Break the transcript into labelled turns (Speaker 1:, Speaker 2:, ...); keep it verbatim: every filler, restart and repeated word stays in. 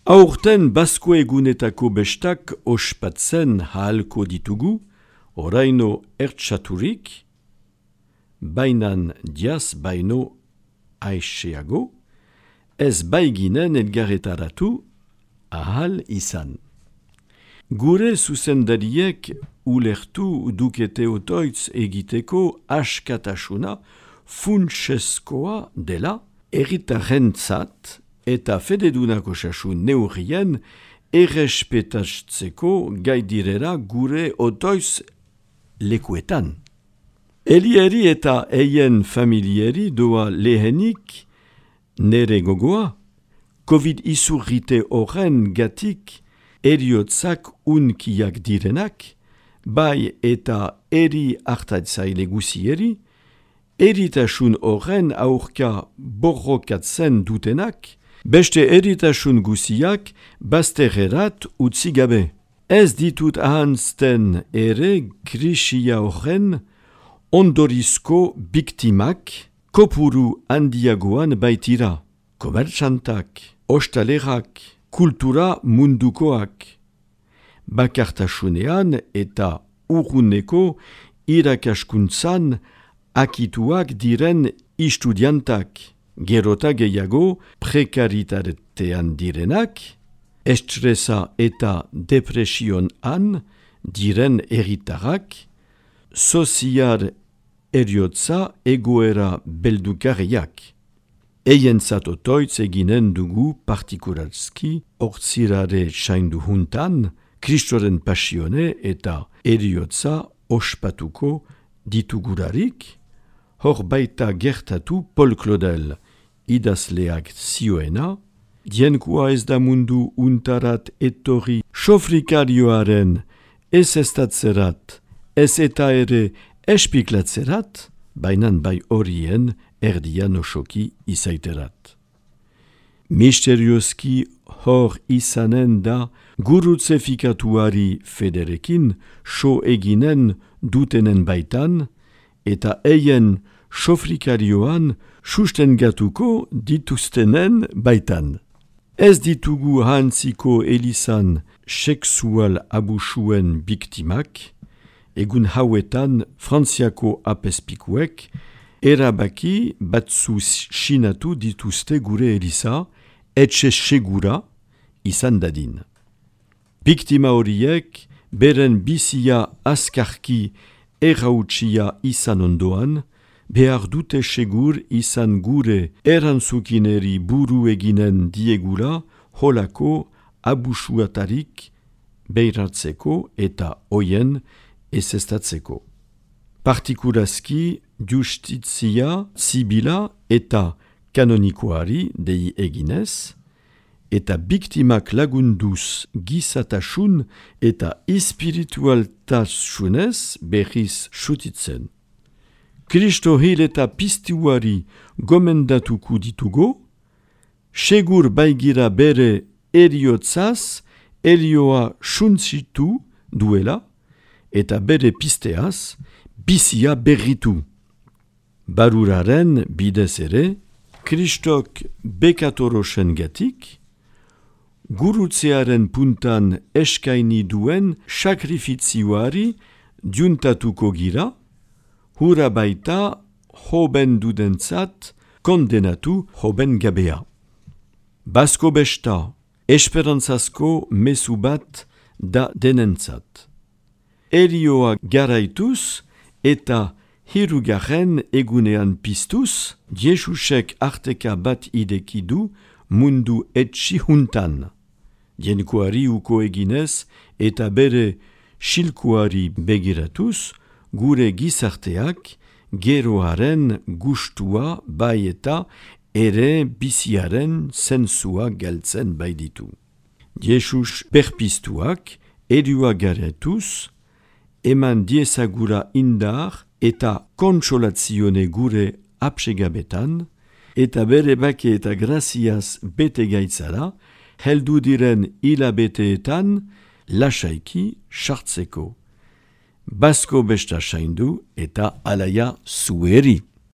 Speaker 1: Aurten Basko egunetako bestak ospatzen halko ditugu, oraino ertsaturik, bainan diaz baino aiseago, ez baiginen elgarretaratu ahal izan. Gure zuzendariek ulertu dukete otoitz egiteko askatasuna funtsezkoa dela, herritarrentzat eta fededunako osasun neurrien errespetatzeko gai direla gure otoitz lekuetan. Elieri eta eien familieri doa lehenik nere gogoa, COVID izurrite horren gatik eriotzak unkiak direnak, bai eta eri hartatzaile guzieri, eritasun horren aurka borrokatzen dutenak, beste eritasun guziak bazterrerat utzi gabe. Ez ditut ahantzten ere krisia horren ondorizko biktimak kopuru handiagoan baitira. Komertsantak, ostalerak, kultura mundukoak. Bakartasunean eta urruneko irakaskuntzan akituak diren istudiantak. Gerota gehiago prekaritatean direnak, estresa eta depresionan diren herritarrak, sozial eriotza egoera beldukarriak. Eien zatotoitz eginen dugu partikularski ortzirare saindu juntan, Kristoren pasione eta eriotza ospatuko ditugurarik, hor baita gertatu Paul Claudel, idazleak zioena, dienkua ez da mundu untarat etorri sofrikarioaren ez estatzerat, ez eta ere espiklatzerat, bainan bai horien erdian osoki izaiterat. Misterioski hor izanen da gurutze fikatuari federekin so eginen dutenen baitan, eta eien sofrikarioan sustengatuko dituztenen baitan. Ez ditugu hantziko elizan sexual abusuen biktimak, egun hauetan Frantziako apespikuek erabaki batzu sinatu dituzte gure eliza, etxe segura izan dadin. Biktima horiek beren bizia azkarki errautsia izan ondoan, behar dute segur izan gure erantzukineri buru eginen diegula holako abusuatarik beiratzeko eta hoien ezestatzeko. Partikurazki justizia zibila eta kanonikoari dei eginez, eta biktimak lagunduz gizatasun eta espiritualtasunez berriz sutitzen. Kristo hil eta piztuari gomendatuko ditugo, segur baigira bere eriotzaz erioa suntzitu duela, eta bere pisteaz bizia berritu. Baruraren bidez ere, Kristok bekatorosen gatik, gurutzearen puntan eskaini duen sakrifizioari diuntatuko gira, hura baita hoben dudentzat kondenatu hoben gabea. Basko besta, esperantzazko mezu bat da denentzat. Erioa garaituz eta hirugarren egunean piztuz, Jesusek arteka bat idekidu mundu etxi juntan. Dienkuari uko eginez eta bere silkuari begiratuz, gure gizarteak geroaren gustua bai eta ere biziaren zentzua galtzen baiditu. Jesus berpiztuak erioa garatuz, eman diezagura indar eta kontsolazione gure apsegabetan, eta bere bake eta graziaz bete gaitzara, heldu diren hilabeteetan lasaiki sartzeko. Basko besta saindu eta alaia zueri.